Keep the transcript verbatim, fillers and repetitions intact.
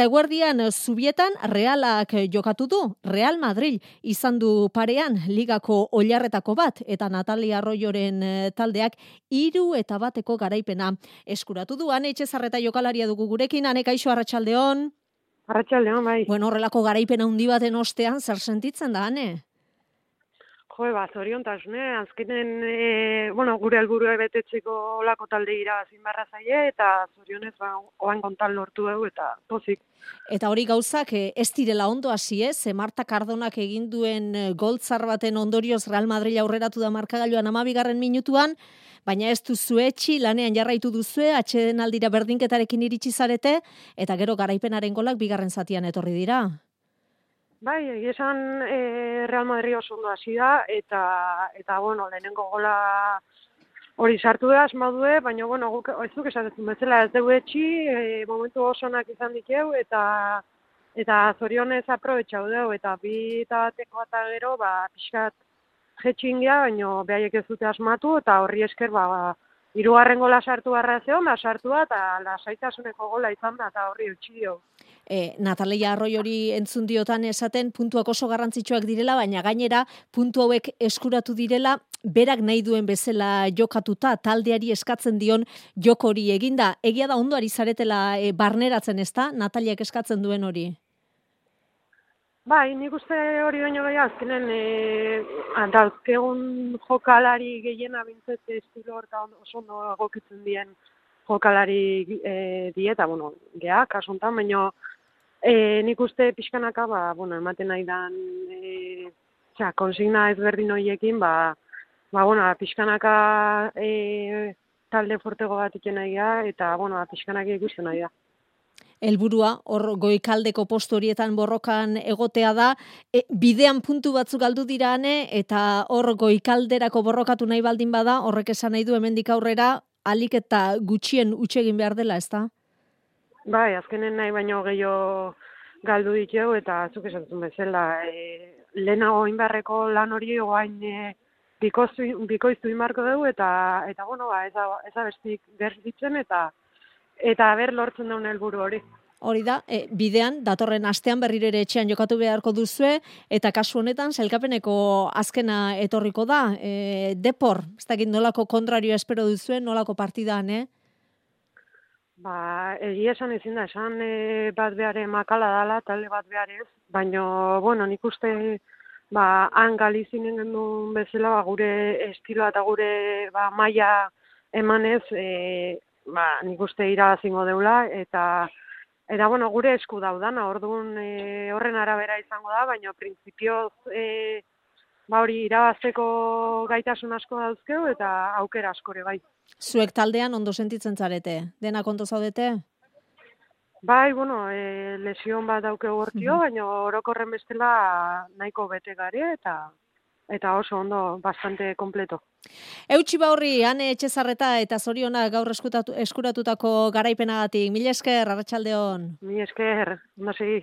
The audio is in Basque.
Eguerdian Zubietan Realak jokatu du. Real Madrid izan du parean ligako oilarretako bat eta Natalia Arroyoren taldeak hiru eta bateko garaipena eskuratu du. Ane Etxezarreta jokalaria dugu gurekin. Ane, kaixo, arratsaldeon. Arratsaldeon, bai. Bueno, horrelako garaipena handi baten ostean zer sentitzen da, Ane? Jo, ba, zoriontasune, azkenen, e, bueno, gure helburua betetzeko olako talde irabazin barra zaie, eta zorionez, ba, oan kontan lortu dugu, eta pozik. Eta hori gauzak ez direla ondo hasi, ez? Marta Cardonak egin duen goltzar baten ondorioz Real Madrid aurreratu da markagailuan hamabigarren minutuan, baina ez duzu etxi, lanean jarraitu duzue, atsedenaldira berdinketarekin iritsi zarete, eta gero garaipenaren golak bigarren zatian etorri dira. Bai, egia esan e, Real Madrid oso ondo hasi da, eta, eta bueno, lehenengo gola hori sartu da, asmadue, baina, bueno, guk ez duk esatetzen bezala ez dugu etxi, e, momentu oso onak izan dikeu, eta eta zorionez aprobetxau dugu, eta bi eta bateko eta gero, ba, pixkat jetxingia, baina behaiek ez dute asmatu, eta horri esker, ba, hirugarren gola sartu barra zeon, da sartu da, eta lasaitasuneko gola izan da, eta horri eutxi dio. E, Natalia Arroyori entzun diotan esaten puntuak oso garrantzitsuak direla, baina gainera puntu hauek eskuratu direla, berak nahi duen bezala jokatuta, taldeari eskatzen dion joko hori eginda. Egia da ondo ari zaretela e, barneratzen, ezta? Nataliak eskatzen duen hori. Bai, nik uste hori baino gehiago, azkenen e, dauzkegun jokalari gehiena bintzet estilo horta oso ondo egokitzen dien jokalari e, dieta, bueno, geha, kasuntan, baino e, nik uste pixkanaka, ba, bueno, ematen nahi dan, e, txa, konsigna ezberdin horiekin, ba, ba, bueno, pixkanaka e, talde fortego bat iken nahi da, eta, bueno, pixkanaka ikusten nahi da. Helburua hor goikaldeko postu horietan borrokan egotea da, e, bidean puntu batzuk galdu dirane eta hor goikalderako borrokatu nahi baldin bada, horrek esan nahi du hemendik aurrera alik eta gutxien utxe egin behar dela, ezta? Bai, azkenen nahi baino gehiago galdu ditu eta zuk esatzen bezala, e, lehenago inbarreko lan hori oain e, bikoiztu, bikoiztu inbarko dugu eta eta bueno, ba, ez da ez da bestik gerditzen eta eta ber lortzen daun helburu hori. Hori da, e, bidean, datorren astean berriro ere etxean jokatu beharko duzue, eta kasu honetan, sailkapeneko azkena etorriko da. E, depor, ez dakit nolako kontrario espero duzue, nolako partidan, eh? Ba, egia esan ezin da, esan e, bat behare makala dala, talde bat beharez, baina, bueno, nik uste, ba, han galizinen gendun bezala, ba, gure estiloa eta gure ba, maila emanez, e, ba, nik uste irabazingo deula, eta Eta, bueno, gure esku daudana, orduan e, horren arabera izango da, baina printzipioz e, ba hori irabazteko gaitasun asko dauzkeu eta aukera askore bai. Zuek taldean ondo sentitzen zarete, denak ondo zaudete? Bai, bueno, e, lesion bat daukeu hortio, mm-hmm. baina orokorren bestela nahiko bete gare eta eta oso ondo, bastante kompleto. Eutsi Baurri, Ane Etxezarreta eta zorionak gaur eskuratutako garaipenagatik. Mila esker, arratsaldeon. Mila esker, ondo segi.